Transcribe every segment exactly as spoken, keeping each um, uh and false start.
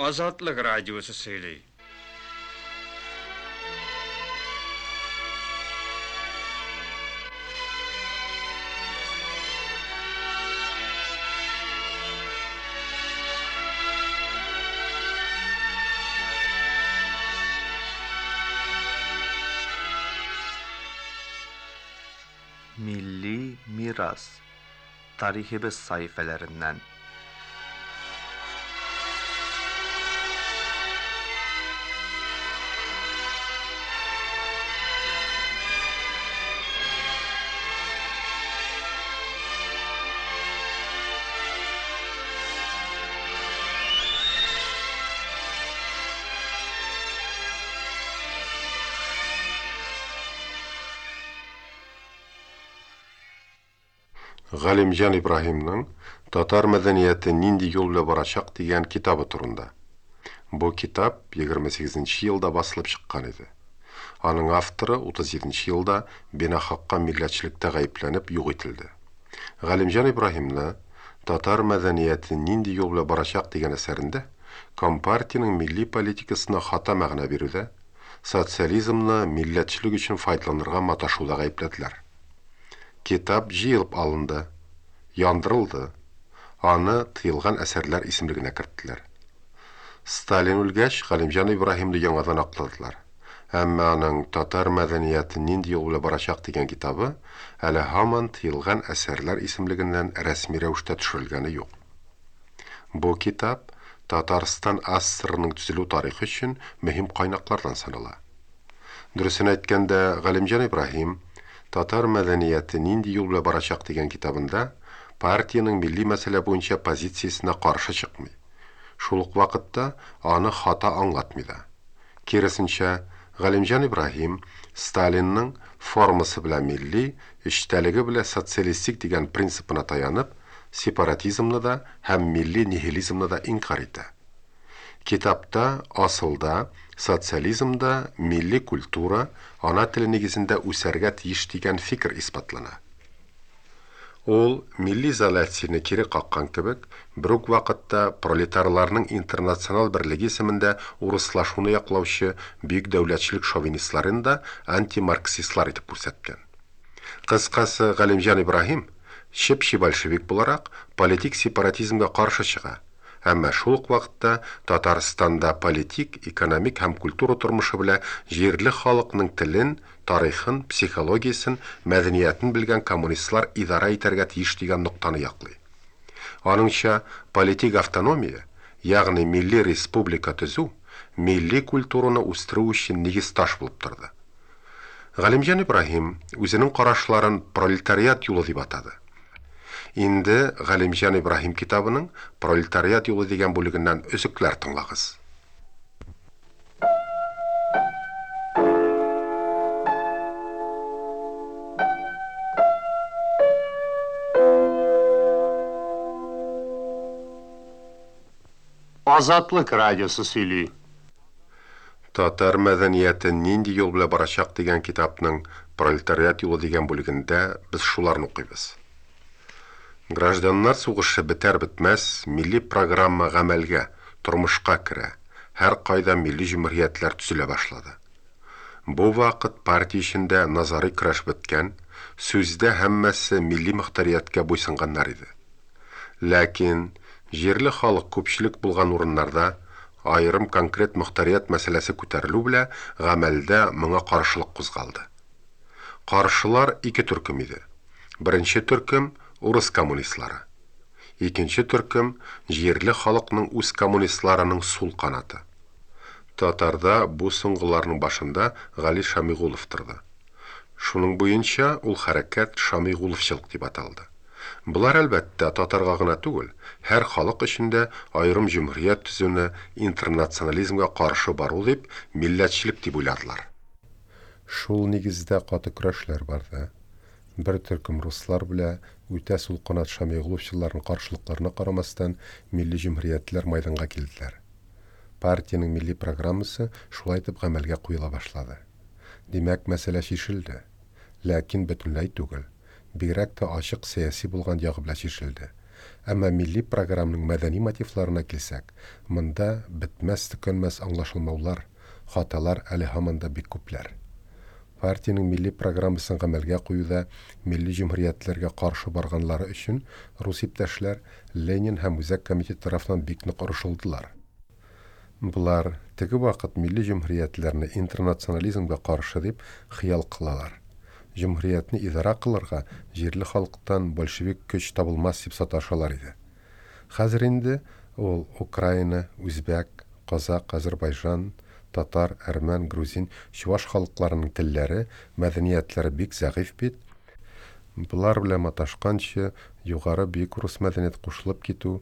Азатлык Радиосы сөйли. Milli Miras Tarihimiz sayfalarından. Галимҗан Ибраһимның Татар мәдәнияте нинди юл белән барачак дигән китабы турында. Бу китап егерме сигезенче елда басылып чыккан иде. Аның авторы утыз җиденче елда бинахакка милләтчелектә гаепләнеп юк ителде. Галимҗан Ибраһимны Татар мәдәнияте нинди юл белән барачак дигән әсәрендә Компартиянең милли политикасына хата мәгънә бирүдә, социализмны милләтчелек өчен файдаланырга маташуда гаепләделәр. Китап җыелып алынды, яндырылды. Аны тыелган әсәрләр исемлегенә керттеләр. Сталин үлгәч, Галимҗан Ибраһимны яңадан акладылар. Әмма аның Татар мәдәнияте нинди юл белән барачак дигән китабы әле һаман тыелган әсәрләр исемлегеннән рәсми рәвештә төшерелгәне юк. Бу китап Татарстан АССРның төзелү тарихы өчен мөһим кайнаклардан санала. Дөресен әйткәндә, Галимҗан Ибраһим Татар мәдәнияте нинди юл белән барачак дигән китабында партиянең милли мәсьәлә буенча позициясенә каршы чыкмый. Шул ук вакытта аны хата аңлатмый да. Киресенчә, Галимҗан Ибраһим Сталинның формасы белән милли, эчтәлеге белән социалистик дигән принципына таянып, сепаратизмны да һәм милли нихилизмны да инкар итә. Китапта асылда социализмда милли культура ана теле нигезендә үсәргә тиеш дигән фикер исбатлана. Ул милли изоляцияне кире каккан кебек, бер үк вакытта пролетарларның интернационал берлеге исемендә урыслашуны яклаучы бөек дәүләтчелек шовинистларын да антимарксистлар итеп күрсәткән. Кыскасы, Галимҗан Ибраһим чеп-чи большевик буларак политик сепаратизмга каршы чыга. Әмма шул ук вакытта Татарстанда политик, экономик һәм культура тормышы белән җирле халыкның телен, тарихын, психологиясен, мәдәниятен белгән коммунистлар идара итәргә тиеш дигән ноктаны яклый. Аныңча, политик автономия, ягъни милли республика төзү, милли культураны үстерү өчен нигез таш булып торды. Галимҗан Ибраһим үзенең карашларын пролетариат юлы дип атады. Инде Галимҗан Ибраһим китабының Пролетариат юлы дигән бүлегеннән өзекләр тыңлагыз. Азатлык радиосы сөйли. Татар мәдәнияте нинди юл белән барачак дигән китапның Пролетариат юлы дигән бүлегендә без шуларны укыйбыз. Гражданнар сугышы бетәр бетмәс милли программа гамәлгә, тормышка керә. Һәр кайда милли җөмһүриятләр төзелә башлады. Бу вакыт партия эчендә назари көрәш беткән, сүздә һәммәсе милли мөхтәрияткә буйсынганнар иде. Ләкин җирле халык күпчелек булган урыннарда аерым конкрет мөхтәрият мәсьәләсе күтәрелү белән гамәлдә моңа каршылык кузгалды. Каршылар ике төркем иде. Беренче төркем урыс коммунистлары. Икенче төркем җирле халыкның үз коммунистларының сул канаты. Татарда бу соңгыларның башында Гали Шамигулов торды. Шуның буенча ул хәрәкәт Шамигуловчылык дип аталды. Булар әлбәттә татарга гына түгел, һәр халык өчен дә аерым җөмһүрият төзүне интернационализмга каршы бару дип, милләтчелек дип уйладылар. Шул нигездә каты көрәшләр барды. Бер төркем руслар белән үтә сул канат Шамигуловчыларның каршылыкларына карамастан милли җөмһүриятләр майданга килделәр. Партиянең милли программасы шулай итеп гамәлгә куела башлады. Димәк, мәсьәлә чишелде. Ләкин бөтенләй түгел. Бигрәк тә ачык сәяси булган ягы белән чишелде. Әмма милли программаның мәдәни мотивларына килсәк, монда бетмәс-төкәнмәс аңлашылмаулар, хаталар әле һаман да бик күпләр. Партиянең милли программасын гамәлгә куюда милли җөмһүриятләргә каршы барганлары өчен рус иптәшләр Ленин һәм Үзәк комитет тарафыннан бик нык орышылдылар. Болар теге вакыт милли җөмһүриятләрне интернационализмга каршы дип хыял кылалар. Җөмһүриятне идара кылырга җирле халыктан большевик көч табылмас дип саташалар иде. Хәзер инде ул Украина, үзбәк, казак, Азербайҗан, татар, әрмән, грузин, чуваш халыкларының телләре, мәдәниятләре бик зәгыйфь бит. Болар белән маташканчы югары бөек рус мәдәният кушылып китү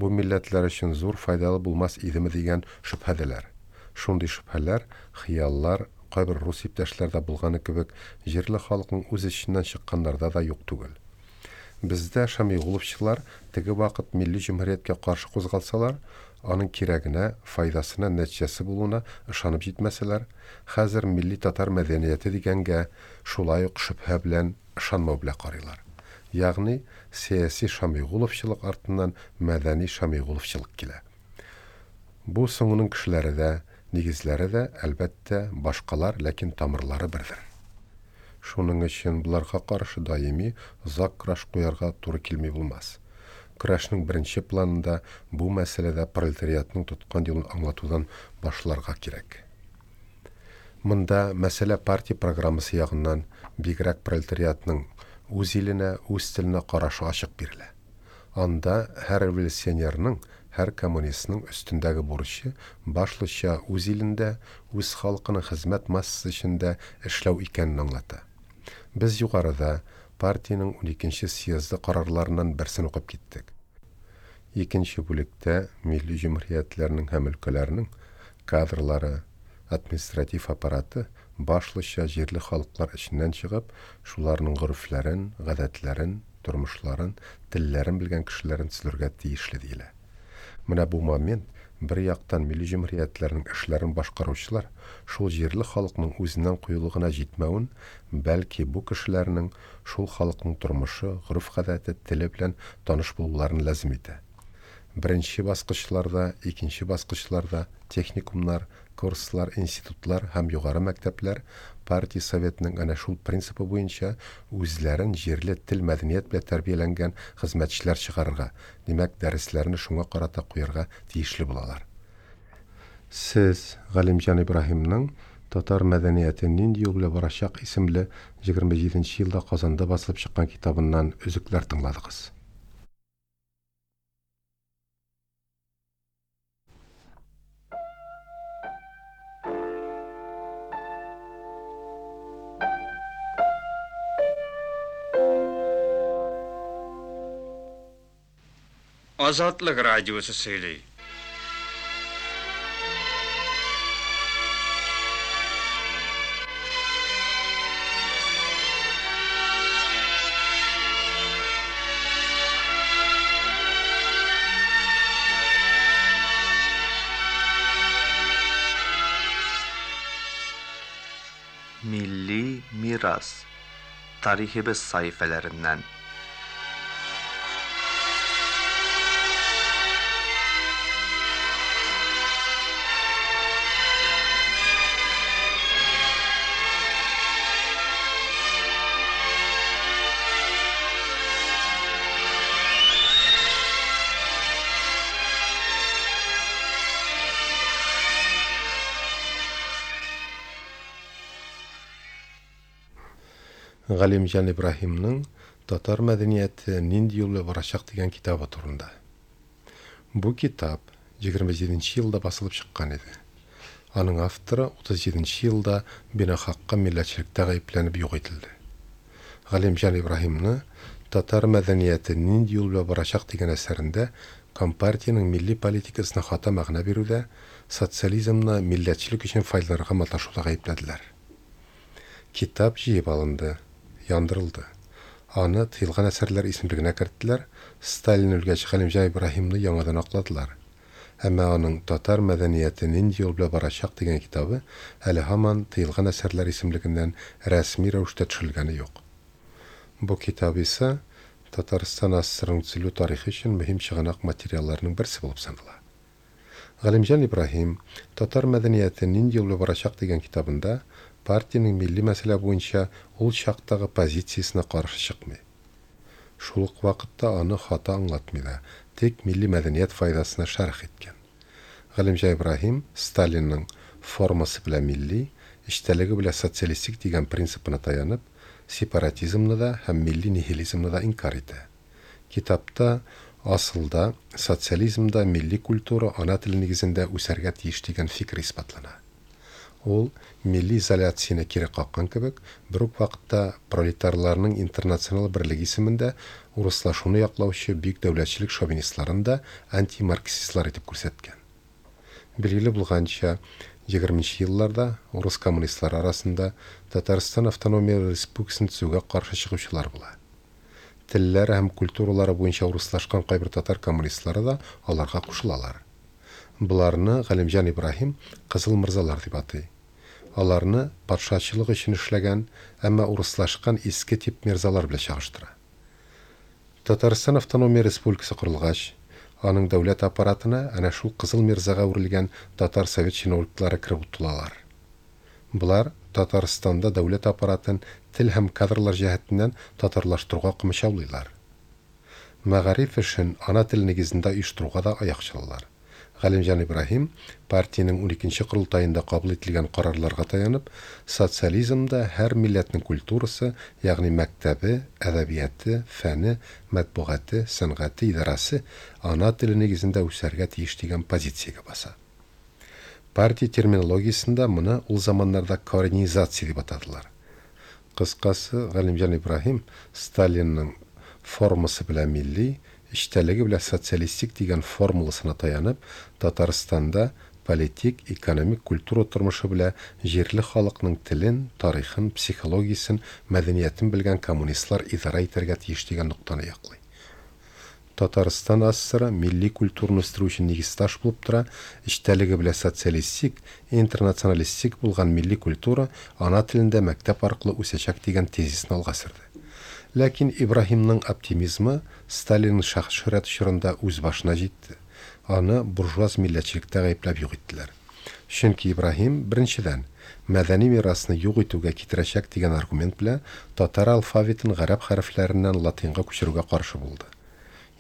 бу милләтләр өчен зур файдалы булмас идеме дигән шөбһәдәләр. Шундый шөбһәләр, хыяллар кайбер рус иптәшләрдә булганы кебек җирле халыкның үз эченнән чыкканнарда да юк түгел. Бездә шамигуловчылар теге вакыт милли җөмһүрияткә каршы кузгалсалар, аның кирәгенә, файдасына, нәтиҗәсе булуына ышанып җитмәсәләр, хәзер милли татар мәдәнияте дигәнгә шулай ук шөбһә белән ышанмау белән карыйлар. Ягъни сәяси шамигуловчылык артыннан мәдәни шамигуловчылык килә. Бу соңының кешеләре дә, нигезләре дә, әлбәттә, башкалар, ләкин тамырлары бердер. Шуның өчен боларга каршы даими озак көрәш куярга туры килми булмас. Көрәшнең беренче планында бу мәсьәләдә пролетариатның тоткан юлын аңлатудан башларга кирәк. Монда мәсьәлә партия программасы ягыннан бигрәк пролетариатның үз иленә, үз теленә карашы ачык бирелә. Анда һәр революционерның, һәр коммунистның өстендәге бурычы башлыча үз илендә, үз халкының хезмәт массасы эчендә эшләү икәнен аңлата. Без югарыда партиянең уникенче съезды карарларыннан берсен укып киттек. Икенче бүлектә милли җөмһүриятләрнең һәм өлкәләрнең кадрлары, административ аппараты башлыча җирле халыклар эченнән чыгып, шуларның горефләрен, гадәтләрен, тормышларын, телләрен белгән кешеләрен төзелергә тиешле диелә. Менә бу момент бер яктан милли җөмһүриятләрнең эшләрен башкаручылар шул җирле халыкның үзеннән куелыгына җитмәвен, бәлки бу кешеләрнең шул халыкның тормышы, гореф-гадәте, теле белән таныш булуларын лазим итә. Беренче баскычларда, икенче баскычларда техникумнар, курслар, институтлар һәм югары мәктәпләр партия советының әнә шул принципы буенча үзләрен җирле тел мәдәният белән тәрбияләнгән хезмәтчеләр чыгарырга, димәк, дәресләрне шуңа карата куярга тиешле булалар. Сез Галимҗан Ибраһимның Татар мәдәнияте нинди юл белән барачак исемле егерме җиденче елда Казанда басылып чыккан китабыннан өзекләр тыңладыгыз. Азатлык радиосы сөйли. Milli miras tarihimiz sayfalarından. Галимҗан Ибраһимның Татар мәдәнияте нинди юл белән барачак дигән китабы турында. Бу китап егерме җиденче елда басылып чыккан иде. Аның авторы утыз җиденче елда бинахакка милләтчелектә гаепләнеп юк ителде. Галимҗан Ибраһимны Татар мәдәнияте нинди юл белән барачак дигән әсәрендә Компартиянең милли политикасына хата мәгънә бирүдә, социализмны милләтчелек өчен файдаланырга маташуда гаепләделәр. Китап җыеп алынды, яндырылды. Аны тыелган әсәрләр исемлегенә керттеләр, Сталин үлгәч Галимҗан Ибраһимны яңадан акладылар. Әмма аның Татар мәдәнияте нинди юл белән барачак дигән китабы әле һаман тыелган әсәрләр исемлегеннән рәсми рәвештә төшерелгәне юк. Бу китап исә Татарстан АССРның төзелү тарихы өчен мөһим чыганак материалларының берсе булып санала. Галимҗан Ибраһим «Татар мәдәнияте нинди юл белән барачак» дигән китабында партиянең милли мәсьәлә буенча ул чактагы позициясенә каршы чыкмый. Шул ук вакытта аны хата аңлатмый да, тик милли мәдәният файдасына шәрх иткән. Галимҗан Ибраһим Сталинның формасы белән милли, эчтәлеге белән социалистик дигән принципына таянып, сепаратизмны да һәм милли нихилизмны да инкар итә. Китапта асылда социализмда милли культура ана теле нигезендә үсәргә тиеш дигән фикер исбатлана. Ул милли изоляцияне кире каккан кебек, бер үк вакытта пролетарларның интернационал берлеге исемендә урыслашуны яклаучы бөек дәүләтчелек шовинистларын да антимарксистлар итеп күрсәткән. Билгеле булганча, егерменче елларда урыс коммунистлары арасында Татарстан автономия республикасын төзүгә каршы чыгучылар була. Телләре һәм культуралары буенча урыслашкан кайбер татар коммунистлары да аларга кушылалар. Боларны Галимҗан Ибраһим Кызыл мырзалар дип атый. Аларны патшачылык өчен эшләгән, әмма урыслашкан иске тип мирзалар белән чагыштыра. Татарстан автономия республикасы корылгач, аның дәүләт аппаратына әнә шул Кызыл мирзага әверелгән татар совет чиновниклары кереп утыралар. Болар Татарстанда дәүләт аппаратын тел һәм кадрлар җәһәтеннән татарлаштыруга комачаулыйлар. Мәгариф эшен ана теле нигезендә оештыруга да аяк чалалар. Галимҗан Ибраһим партиянең уникенче корылтаенда кабул ителгән карарларга таянып, социализмда һәр милләтнең культурасы, ягъни мәктәбе, әдәбияты, фәне, матбугаты, сәнгате, идарасы ана теле нигезендә үсәргә тиеш дигән позициягә баса. Партия терминологиясендә моны ул заманнарда коренизация дип атадылар. Кыскасы, Галимҗан Ибраһим Сталинның формасы белән милли, эчтәлеге белән социалистик дигән формуласына таянып, Татарстанда политик, экономик, культура тормышы белән җирле халыкның телен, тарихын, психологиясен, мәдәниятен белгән коммунистлар идарә итәргә тиеш дигән ноктаны яклый. Татарстан АССР милли культураны үстерү өчен нигез таш булып тора, эчтәлеге белән социалистик, интернационалистик булган милли культура ана телендә мәктәп аркылы үсәчәк дигән тезисны алга сөрде. Ләкин Ибраһимның оптимизмы Сталинның шәхес шөһрәте чорында үз башына җитте. Аны буржуаз милләтчелектә гаепләп юк иттеләр. Чөнки Ибраһим беренчедән мәдәни мирасны юк итүгә китерәчәк дигән аргумент белән татар алфавитын гарәп хәрефләреннән латинга күчерүгә каршы булды.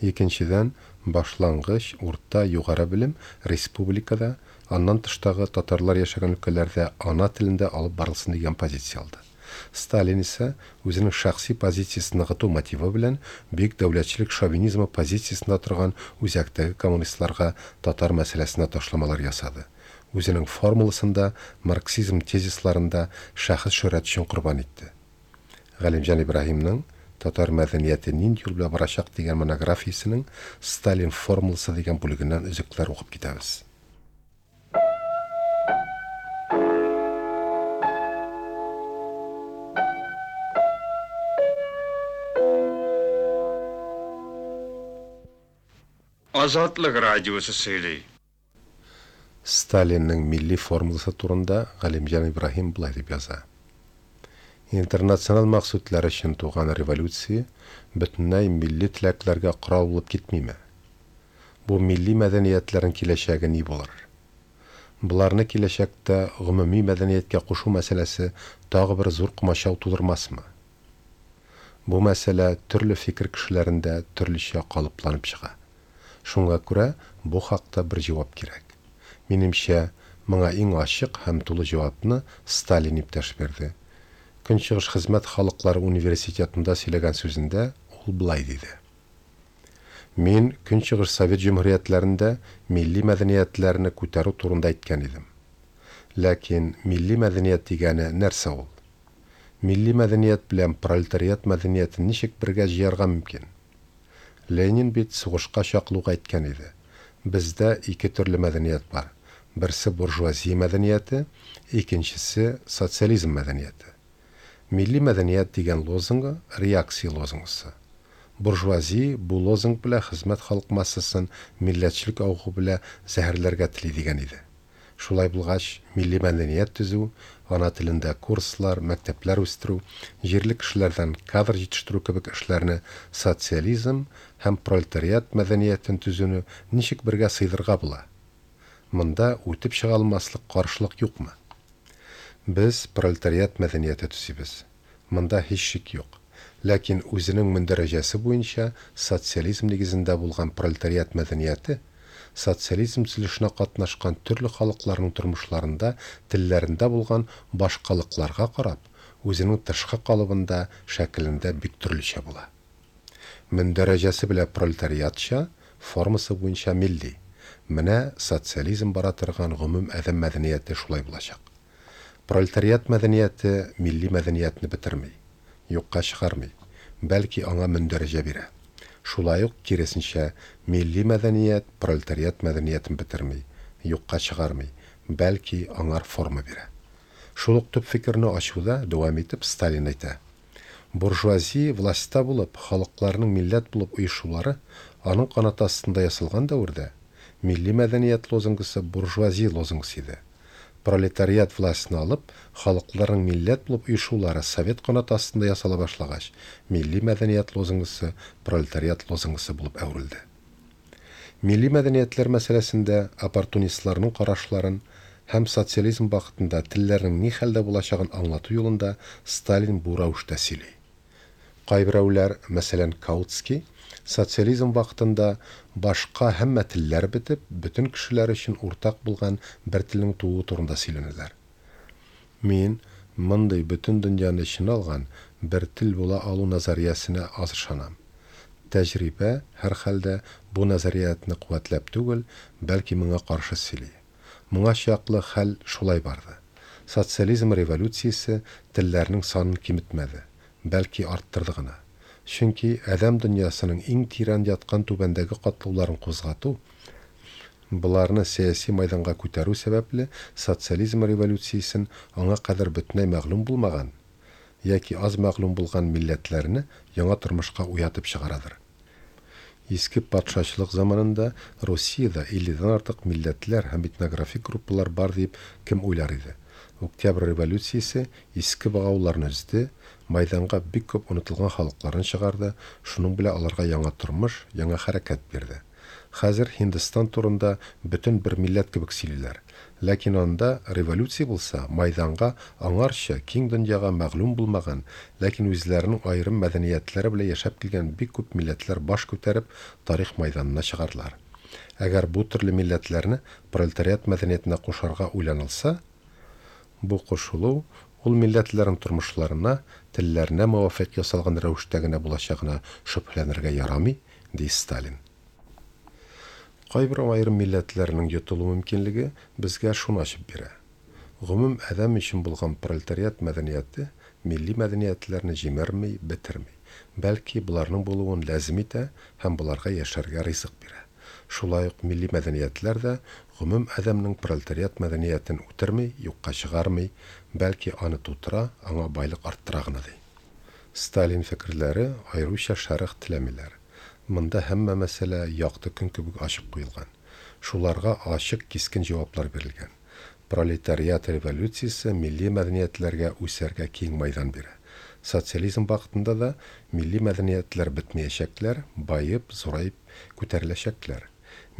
Икенчедән, башлангыч, урта, югары белем республикада, аннан тыштагы татарлар яшәгән өлкәләрдә ана телендә алып барылсын дигән позиция алды. Сталин исә үзенең шәхси позициясен ныгыту мотивы белән бөек дәүләтчелек шовинизмы позициясендә торган үзәктәге коммунистларга татар мәсьәләсенә ташламалар ясады. Үзенең формуласында марксизм тезисларында шәхес шөһрәте өчен корбан итте. Галимҗан Ибраһимның «Татар мәдәнияте нинди юл белән барачак» дигән монографиясенең Сталин формуласы дигән бүлегеннән өзекләр укып китәбез. Азатлык радиосы сөйли. Сталинның милли формуласы турында Галимҗан Ибраһим болай дип яза. Интернационал максатлар өчен туган революция бөтенләй милли теләкләргә корал булып китмиме? Бу милли мәдәниятләрнең киләчәге ни булыр? Боларны киләчәктә гомуми мәдәнияткә кушу мәсьәләсе тагы бер зур комачау тудырмасмы? Бу мәсьәлә төрле фикер кешеләрендә төрлечә калыпланып чыга. Шуңа күрә бу хакта бер җавап кирәк. Минемчә, моңа иң ачык һәм тулы җавапны Сталин иптәш бирде. Көнчыгыш хезмәт халыклары университетында сөйләгән сүзендә ул болай диде. Мин Көнчыгыш Совет җөмһүриятләрендә милли мәдәниятләрне күтәрү турында әйткән идем. Ләкин милли мәдәният дигәне нәрсә ул? Милли мәдәният белән пролетариат мәдәниятен ничек бергә җыярга мөмкин? Ленин бит сугышка чаклы ук әйткән иде. Бездә ике төрле мәдәният бар. Берсе буржуазия мәдәнияте, икенчесе социализм мәдәнияте. Милли мәдәният дигән лозунгы реакция лозунгысы. Буржуазия бу лозунг белән хезмәт халык массасын милләтчелек авыгы белән зәһәрләргә тели дигән иде. Шулай булгач, милли мәдәният төзү, ана телендә курслар, мәктәпләр үстерү, җирле кешеләрдән кадр җитештерү кебек эшләрне социализм һәм пролетариат мәдәниятен төзүне ничек бергә сыйдырга була? Монда үтеп чыга алмаслык каршылык юкмы? Без пролетариат мәдәнияте төзибез. Монда һич шик юк. Ләкин үзенең мөндәрәҗәсе буенча социализм нигезендә булган пролетариат мәдәнияте социализм төзелешенә катнашкан төрле халыкларның тормышларында, телләрендә булган башкалыкларга карап, үзенең тышкы калыбында, шәкелендә бик төрлечә була. Мөндәрәҗәсе белән пролетариатча, формасы буенча милли. Менә социализм бара торган гомум адәм мәдәнияте шулай булачак. Пролетариат мәдәнияте милли мәдәниятне бетерми, юкка чыгармый, бәлки аңа мөндәрәҗә бирә. Шулай ук киресенчә милли мәдәният пролетариат мәдәниятен бетерми, юкка чыгармый, бәлки аңар форма бирә. Шул ук төп фикерне ачуда дәвам итеп Сталин әйтә: буржуазия властьта булып, халыкларның милләт булып оешулары аның канаты астында ясалган дәвердә милли мәдәният лозунгысы буржуазия лозунгысы иде. Пролетариат властьны алып, халыкларның милләт булып оешулары совет канаты астында ясала башлагач, милли мәдәният лозунгысы пролетариат лозунгысы булып әверелде. Милли мәдәниятләр мәсьәләсендә оппортунистларның карашларын һәм социализм вакытында телләрнең ни хәлдә булачагын аңлату юлында Сталин бу рәвештә сөйли. Кайберәүләр, мәсәлән, Каутский, социализм вакытында башка һәммә телләр бетеп, бөтен кешеләр өчен уртак булган бер телнең тууы турында сөйләнәләр. Мин мондый бөтен дөньяны эченә алган бер тел була алу назариясенә аз ышанам. Тәҗрибә һәр хәлдә бу назариятны куәтләп түгел, бәлки моңа каршы сөйли. Моңа чаклы хәл шулай барды. Социализм революциясе телләрнең санын киметмәде, бәлки арттырды гына. Чөнки адәм дөньясының иң тирән яткан түбәндәге катлауларын кузгату, боларны сәяси майданга күтәрү сәбәпле социализм революциясен аңа кадәр бөтенләй мәгълүм булмаган яки аз мәгълүм булган милләтләрне яңа тормышка уятып чыгарадыр. Иске патшачылык заманында Русиядә илледән артык милләтләр һәм этнографик группалар бар дип кем уйлар иде? Октябрь революциясе иске богауларны өзде, майданга бик күп онытылган халыкларны чыгарды, шуның белән аларга яңа тормыш, яңа хәрәкәт бирде. Хәзер Һиндстан турында бөтен бер милләт кебек сөйлиләр. Ләкин анда революция булса, майданга аңарча киң дөньяга мәгълүм булмаган, ләкин үзләренең аерым мәдәниятләре белән яшәп килгән бик күп милләтләр баш күтәреп тарих майданына чыгарлар. Әгәр бу төрле милләтләрне пролетариат мәдәниятенә кушарга уйланылса, бу кушылу ул милләтләрнең тормышларына, телләренә муафыйк ясалган рәвештә генә булачагына шөбһәләнергә ярамый, ди Сталин. Кайбер аерым милләтләрнең йотылу мөмкинлеге безгә шуны ачып бирә. Гомум адәм өчен булган пролетариат мәдәнияте милли мәдәниятләрне җимерми, бетерми, бәлки боларның булуын ләзим итә һәм боларга яшәргә ризык бирә. Шулай ук милли мәдәниятләр дә гомум адәмнең пролетариат мәдәниятен үтерми, юкка чыгармый, бәлки аны тутыра, аңа байлык арттыра гына ди. Сталин фикерләре аеруча шәрык теләмиләр. Монда һәммә мәсьәлә якты көн кебек ачык куелган. Шуларга ачык кискен җаваплар бирелгән. Пролетариат революциясе милли мәдәниятләргә үсәргә киң майдан бирә. Социализм вакытында да милли мәдәниятләр бетмәячәкләр, баеп, зураеп күтәреләчәкләр.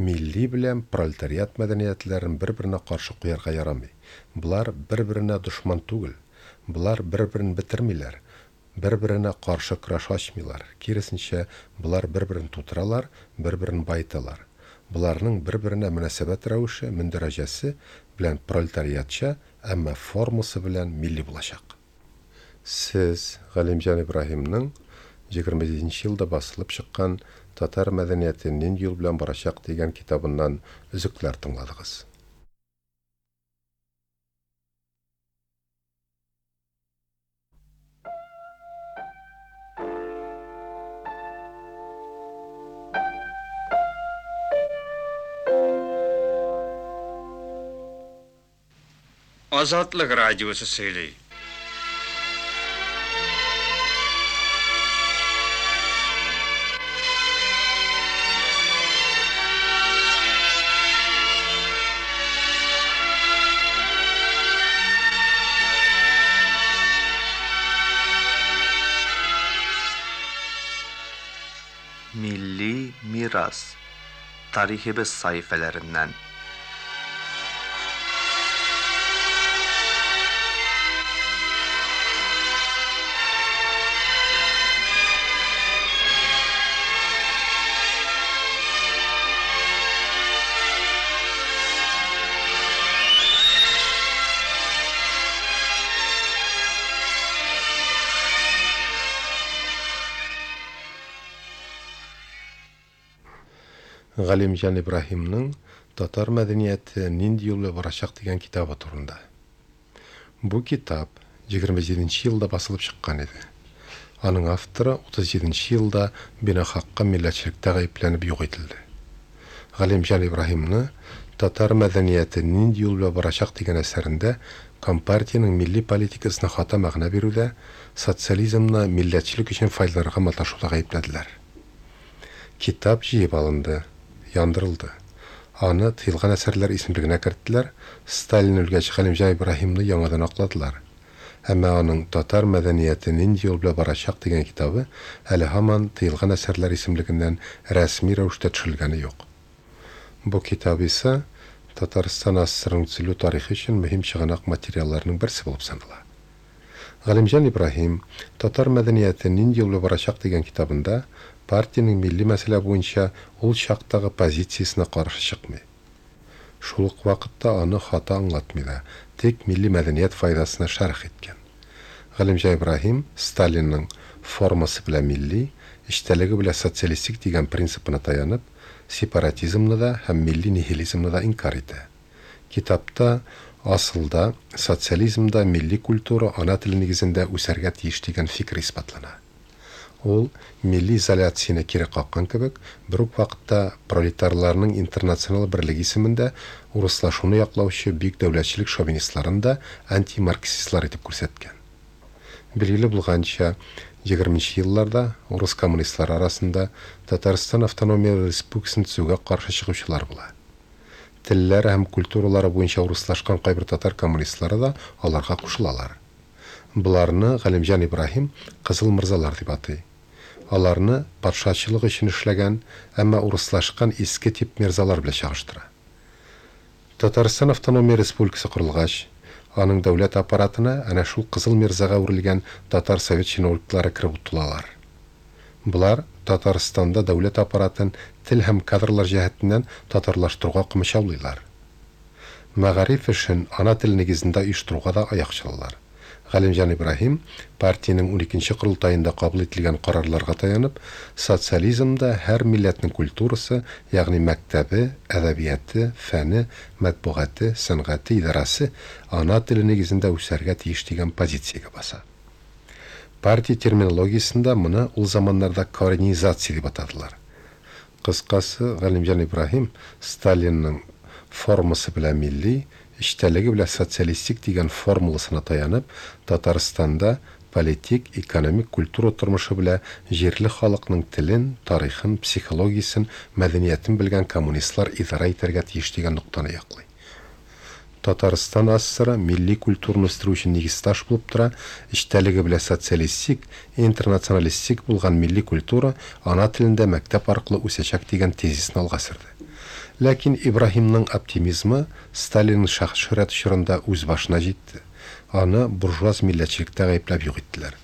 Милли белән пролетариат мәдәниятләрен бер-беренә каршы куярга ярамый. Болар бер-беренә дошман түгел. Болар бер-берен бетермиләр, бер-беренә каршы көрәш ачмыйлар. Киресенчә, болар бер-берен тутыралар, бер-берен баеталар. Боларның бер-беренә мөнәсәбәт рәвеше, мөндәрәҗәсе белән пролетариатча, әмма формасы белән милли булачак. Сез Галимҗан Ибраһимның егерме җиденче елда басылып чыккан Татар мәдәнияте нинди юл белән барачак дигән китабыннан өзекләр тыңладыгыз. Азатлык радиосы сөйли. Milli miras tariximiz sahifalaridan. Галимҗан Ибраһимның Татар мәдәнияте нинди юл белән барачак дигән китабы турында. Бу китап егерме җиденче елда басылып чыккан иде. Аның авторы утыз җиденче елда бинахакка милләтчелектә гаепләнеп юк ителде. Галимҗан Ибраһимны Татар мәдәнияте нинди юл белән барачак дигән әсәрендә Компартиянең милли политикасына хата мәгънә бирүдә, социализмны милләтчелек өчен файдаланырга маташуда гаепләделәр. Китап җыеп алынды, яндырылды. Аны тыелган әсәрләр исемлегенә керттеләр, Сталин үлгәч Галимҗан Ибраһимны яңадан акладылар. Әмма аның Татар мәдәнияте нинди юл белән барачак дигән китабы әле һаман тыелган әсәрләр исемлегеннән рәсми рәвештә төшерелгәне юк. Бу китап исә Татарстан АССРның төзелү тарихы өчен мөһим чыганак материалларының берсе булып санала. Галимҗан Ибраһим Татар мәдәнияте нинди юл белән барачак дигән китабында партиянең милли мәсьәлә буенча ул чактагы позициясенә каршы чыкмый. Шул ук вакытта аны хата аңлатмый да, тик милли мәдәният файдасына шәрх иткән. Галимҗан Ибраһим Сталинның формасы белән милли, эчтәлеге белән социалистик дигән принципына таянып, сепаратизмны да һәм милли нихилизмны да инкар итә. Китапта асылда социализмда милли культура ана теле нигезендә үсәргә тиеш дигән фикер исбатлана. Ул милли изоляцияне кире каккан кебек, бер үк вакытта пролетарларның интернационал берлеге исемендә урыслашуны яклаучы бөек дәүләтчелек шовинистларын да антимарксистлар итеп күрсәткән. Билгеле булганча, егерменче елларда урыс коммунистлары арасында Татарстан автономия республикасын төзүгә каршы чыгучылар була. Телләре һәм культуралары буенча урыслашкан кайбер татар коммунистлары да аларга кушылалар. Боларны Галимҗан Ибраһим Кызыл мырзалар дип атый. Аларны патшачылык өчен эшләгән, әмма урыслашкан иске тип мирзалар белән чагыштыра. Татарстан автономия республикасы корылгач, аның дәүләт аппаратына әнә шул Кызыл мирзага әверелгән татар совет чиновниклары кереп утыралар. Болар Татарстанда дәүләт аппаратын тел һәм кадрлар җәһәтеннән татарлаштыруга комачаулыйлар. Мәгариф эшен ана теле нигезендә оештыруга да аяк чалалар. Галимҗан Ибраһим партиянең уникенче корылтаенда кабул ителгән карарларга таянып, социализмда һәр милләтнең культурасы, ягъни мәктәбе, әдәбияты, фәне, матбугаты, сәнгате, идарасы ана теле нигезендә үсәргә тиеш дигән позициягә баса. Партия терминологиясендә моны ул заманнарда коренизация дип атадылар. Кыскасы, Галимҗан Ибраһим Сталинның формасы белән милли, эчтәлеге белән социалистик дигән формуласына таянып, Татарстанда политик, экономик, культура тормышы белән җирле халыкның телен, тарихын, психологиясен, мәдәниятен белгән коммунистлар идарә итәргә тиеш дигән ноктаны яклый. Татарстан АССР милли культураны үстерү өчен нигез таш булып тора, эчтәлеге белән социалистик, интернационалистик булган милли культура ана телендә мәктәп аркылы үсәчәк дигән тезисны алга сөрде. Ләкин Ибраһимның оптимизмы Сталинның шәхес шөһрәте чорында үз башына җитте. Аны буржуаз милләтчелектә гаепләп юк иттеләр.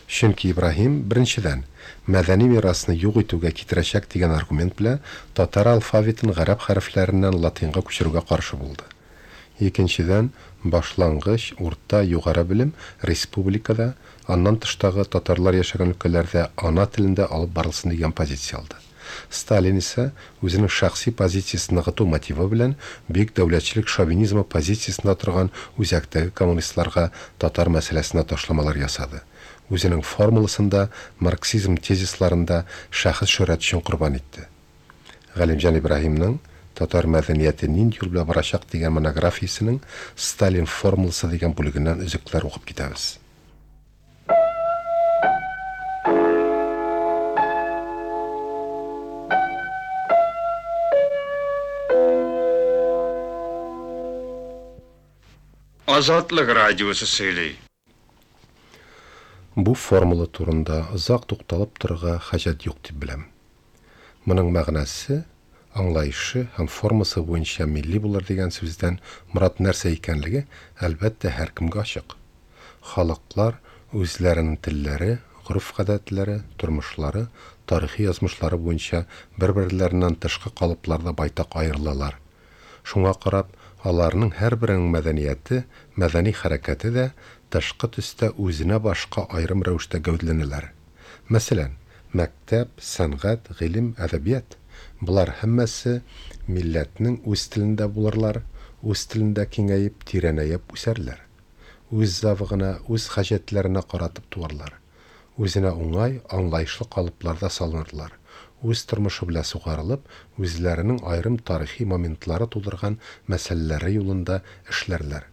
Чөнки Ибраһим беренчедән мәдәни мирасны юк итүгә китерәчәк дигән аргумент белән татар алфавитын гарәп хәрефләреннән латинга күчерүгә каршы булды. Икенчедән, башлангыч, урта, югары белем республикада, аннан тыштагы татарлар яшәгән өлкәләрдә ана телендә алып барылсын дигән позиция алды. Сталин исә үзенең шәхси позициясен ныгыту мотивы белән бөек дәүләтчелек шовинизмы позициясендә торган үзәктәге коммунистларга татар мәсьәләсенә ташламалар ясады. Үзенең формуласында марксизм тезисларында шәхес шөһрәте өчен корбан итте. Галимҗан Ибраһимның Татар мәдәнияте нинди юл белән барачак дигән монографиясенең Сталин формуласы дигән бүлегеннән өзекләр укып китәбез. Азатлык радиосы сөйли. Бу формула турында озак тукталып торырга хаҗәт юк дип беләм. Моның мәгънәсе, аңлаешы һәм формасы буенча милли булыр дигән сүздән морад нәрсә икәнлеге, әлбәттә, һәркемгә ачык. Халыклар үзләренең телләре, гореф-гадәтләре, тормышлары, тарихи язмышлары буенча бер-берләреннән тышкы калыпларда байтак аерылалар. Шуңа карап, аларның һәрберенең мәдәнияте, мәдәни хәрәкәте дә тышкы төстә үзенә башка аерым рәвештә гәүдәләнәләр. Мәсәлән, мәктәп, сәнгать, гыйлем, әдәбият болар һәммәсе милләтнең үз телендә булырлар, үз телендә киңәеп, тирәнәеп үсәрләр. Үз завыгына, үз хаҗәтләренә каратып туарлар. Үзенә уңай, аңлаешлы калыпларда салынырлар. Үз тормышы белән сугарылып, үзләренең аерым тарихи моментлары тудырган мәсьәләләре юлында эшләрләр.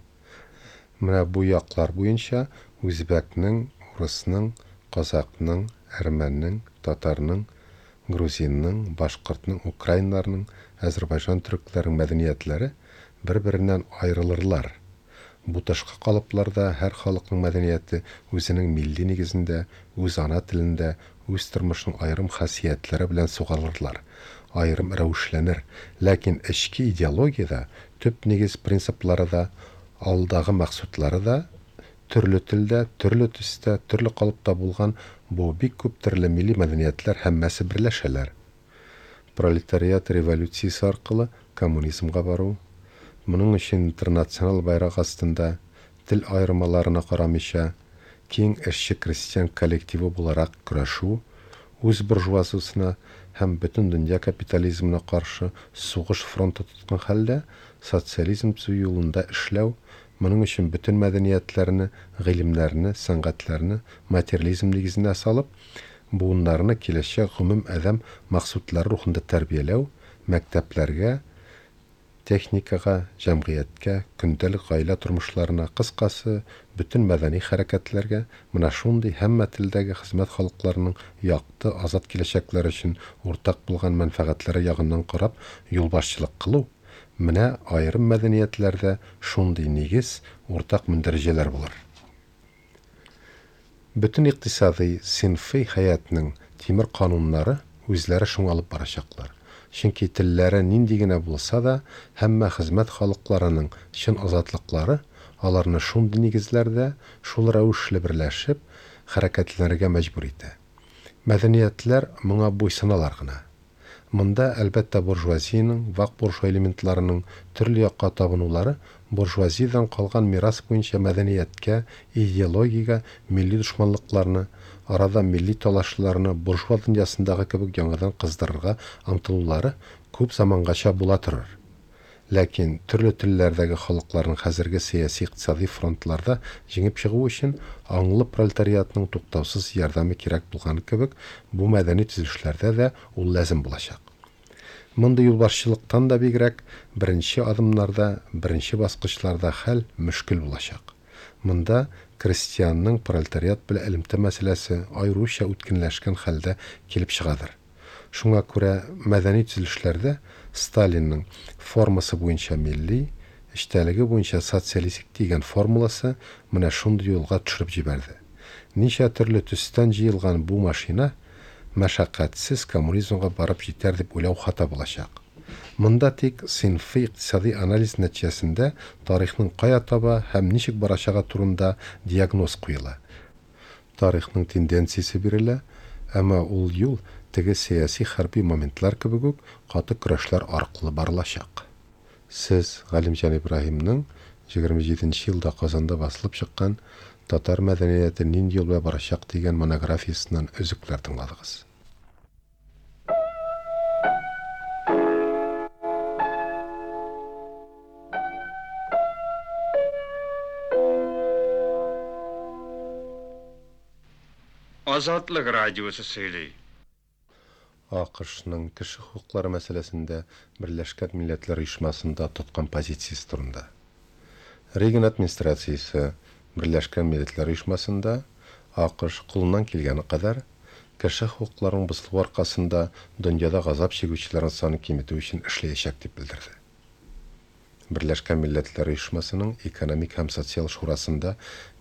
Менә бу яклар буенча үзбәкнең, урысның, казакның, әрмәннең, татарның, грузинның, башкортның, украиннарның, әзербайҗан төрекләренең мәдәниятләре бер-береннән аерылырлар. Бу тышкы калыпларда һәр халыкның мәдәнияте үзенең милли нигезендә, үз ана телендә, үз тормышының аерым хасиятләре белән сугарылырлар, аерым рәвешләнер. Ләкин эчке идеологиядә төп нигез принциплары да, алдагы максатлары да төрле телдә, төрле төстә, төрле калыпта булган бу бик күп төрле милли мәдәниятләр һәммәсе берләшәләр. Пролетариат революциясе аркылы коммунизмга бару, моның өчен интернационал байрак астында тел аермаларына карамыйча киң эшче крестьян коллективы буларак көрәшү, үз буржуазиясенә һәм бөтен дөнья капитализмына каршы сугыш фронты тоткан хәлдә социализм төзү юлында эшләү, моның өчен бөтен мәдәниятләрне, гыйлемнәрне, сәнгатьләрне материализм нигезенә салып, буыннарны киләчәк гомум адәм максатлары рухында тәрбияләү, мәктәпләргә, техникага, җәмгыятькә, көндәлек гаилә тормышларына, кыскасы, бөтен мәдәни хәрәкәтләргә менә шундый һәммә телдәге хезмәт халыкларының якты, азат киләчәкләре өчен уртак булган мәнфәгатьләре ягыннан карап юлбашчылык кылу, менә аерым мәдәниятләрдә шундый нигез, уртак мөндәрәҗәләр булыр. Бөтен икътисадый, синфый хәятның тимер кануннары үзләре шуңа алып барачаклар. Чөнки телләре нинди генә булса да, һәммә хезмәт халыкларының чын азатлыклары аларны шундый нигезләрдә, шул рәвешле берләшеп, хәрәкәтләнергә мәҗбүр итә. Мәдәниятләр моңа буйсыналар гына. Монда, әлбәттә, буржуазиянең, вак буржуа элементларының төрле якка табынулары буржуазиядан калган мирас буенча мәдәнияткә, идеологиягә милли дошманлыкларны, арада милли талашларны буржуа дөньясындагы кебек яңадан кыздырырга омтылулары күп замангача була торыр. Ләкин төрле телләрдәге халыкларның хәзерге сәяси-икътисади фронтларда җиңеп чыгуы өчен аңлы пролетариатның туктаусыз ярдәме кирәк булган кебек, бу мәдәни төзелешләрдә дә ул ләзем булачак. Мондый юлбашчылыктан да бигрәк, беренче адымнарда, беренче баскычларда хәл мөшкел булачак. Монда крестьянның пролетариат белән элемтә мәсьәләсе аеруча үткенләшкән хәлдә килеп чыгадыр. Шуңа күрә мәдәни төзелешләрдә Сталинның формасы буенча милли, эчтәлеге буенча социалистик дигән формуласы менә шундый юлга төшереп җибәрде. Ничә төрле төстән җыелган бу машина мәшәкатьсез коммунизмга барып җитәр дип уйлау хата булачак. Монда тик синфый икътисади анализ нәтиҗәсендә тарихның кая таба һәм ничек барачагы турында диагноз куела. Тарихның тенденциясе бирелә, әмма ул юл теге сәяси хәрби моментлар кебек үк каты көрәшләр аркылы барылачак. Сез Галимҗан Ибраһимның егерме җиденче елда Казанда басылып чыккан Татар мәдәнияте нинди юл белән барачак дигән монографиясеннән өзекләр тыңладыгыз. Азатлык радиосы сөйли. АКШның кеше хокуклары мәсьәләсендә Берләшкән Милләтләр Оешмасында тоткан позициясе турында. Рейган администрациясе Берләшкән Милләтләр Оешмасында АКШ кулыннан килгән кадәр кеше хокукларының бозылуы аркасында дөньяда газап чигүчеләрнең санын киметү өчен эшләячәк дип белдерде. Берләшкән Милләтләр Оешмасының Экономик һәм социаль шурасында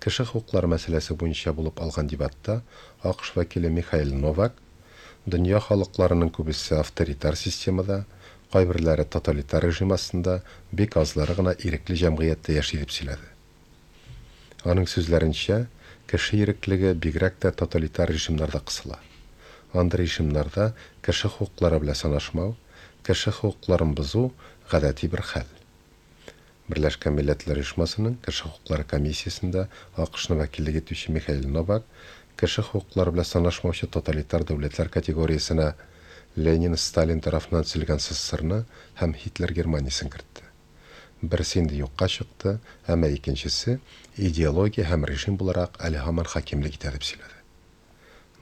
кеше хокуклары мәсьәләсе буенча булып алган дебатта АКШ вәкиле Михаил Новак Дөнья халыкларының күбесе авторитар системада, кайберләре тоталитар режим астында, бик азлары гына ирекле җәмгыятьтә яши дип сөйләде. Аның сүзләренчә, кеше иреклеге бигрәк тә тоталитар режимнарда кысыла. Андый режимнарда кеше хокуклары белән санашмау, кеше хокукларын бозу гадәти бер хәл. Берләшкән Милләтләр Оешмасының Кеше хокуклары комиссиясендә АКШны вәкиллек итүче Михаил Новак кеше хокуклары белән санашмаучы тоталитар дәүләтләр категориясенә Ленин, Сталин тарафыннан төзелгән СССРны һәм Һитлер Германиясен кертте. Берсе инде юкка чыкты, әмма икенчесе идеология һәм режим буларак әле һаман хакимлек итә дип сөйләде.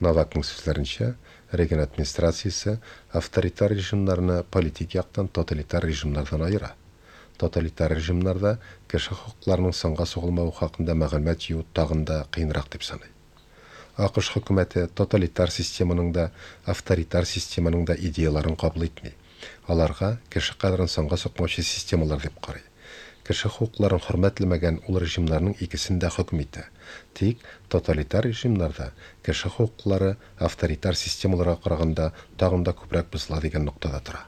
Новакның сүзләренчә, Рейган администрациясе авторитар режимнарны политик яктан тоталитар режимнардан аера. Тоталитар режимнарда кеше хокукларының санга сугылмавы хакында мәгълүмат җыю тагын да кыенрак дип саный. АКШ хөкүмәте тоталитар системаның да, авторитар системаның да идеяларын кабул итми. Аларга кеше кадерен санга сукмаучы системалар дип карый. Кеше хокукларын хөрмәтләмәгән ул режимнарның икесен дә хөкем итә. Тик тоталитар режимнарда кеше хокуклары авторитар системаларга караганда тагын да күбрәк бозыла дигән ноктада тора.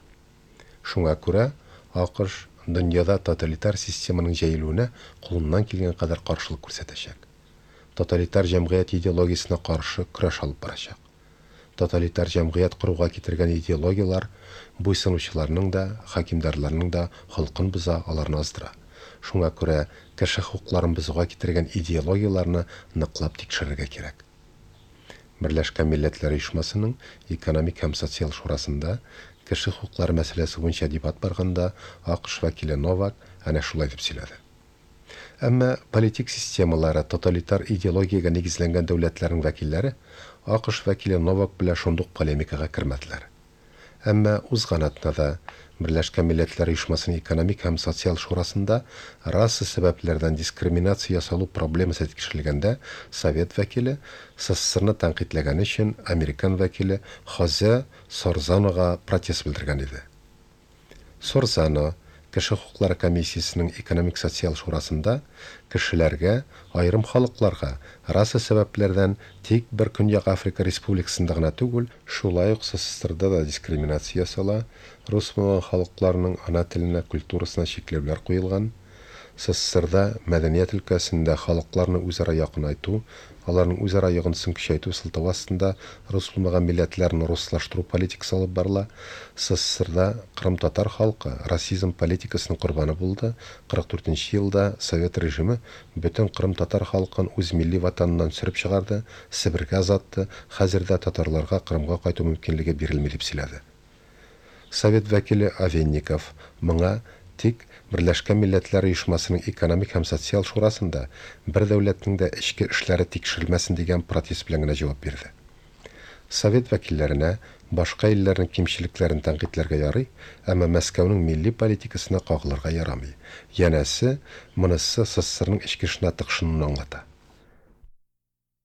Шуңа күрә АКШ дөньяда тоталитар системаның җәелүенә кулыннан килгән кадәр каршылык күрсәтәчәк. Тоталитар җәмгыять идеологиясенә каршы көрәш алып барачак. Тоталитар җәмгыять коруга китергән идеологияләр буйсынучыларның да, хакимдарларның да холкын боза, аларны аздыра. Шуңа күрә кеше хокукларын бозуга китергән идеологияләрне ныклап тикшерергә кирәк. Берләшкән Милләтләр Оешмасының Экономик һәм социаль шурасында кеше хокуклары мәсьәләсе буенча дебат барганда АКШ вәкиле Новак әнә шулай дип сөйләде. Әмма политик системалары тоталитар идеологиягә нигезләнгән дәүләтләрнең вәкилләре АКШ вәкиле Новак белән шундук полемикага кермәделәр. Әмма узган атнада Берләшкән Милләтләр Оешмасының Экономик һәм социаль шурасында раса сәбәпләрдән дискриминация ясалу проблемасы тикшерелгәндә Совет вәкиле СССРны тәнкыйтьләгән өчен американ вәкиле Хозе Сорзанога протест белдергән иде. Сорзано Кеше хокуклары комиссиясенең Экономик социаль шурасында кешеләргә, аерым халыкларга раса сәбәпләрдән тик бер Көньяк Африка Республикасында гына түгел, шулай ук СССРда да дискриминация ясала, рус булган халыкларның ана теленә, культурасына чикләүләр куелган. СССРда мәдәният өлкәсендә халыкларны үзара якынайту, аларның үзара йогынтысын көчәйтү сылтавы астында рус булмаган милләтләрне руслаштыру политикасы алып барыла. СССРда кырым-татар халкы расизм политикасының корбаны булды. кырык дүртенче елда Совет режимы бөтен кырым-татар халкын үз милли ватаныннан сөреп чыгарды, Себергә озатты, хәзер дә татарларга Кырымга кайту мөмкинлеге бирелми дип сөйләде. Совет вәкиле Овенников моңа тик Берләшкән Милләтләр Оешмасының Экономик һәм социаль шурасында бер дәүләтнең дә эчке эшләре тикшерелмәсен дигән протест белән генә җавап бирде. Совет вәкилләренә башка илләрнең кимчелекләрен тәнкыйтьләргә ярый, әмма Мәскәүнең милли политикасына кагылырга ярамый. Янәсе, монысы СССРның эчке эшенә тыкшынуны аңлата.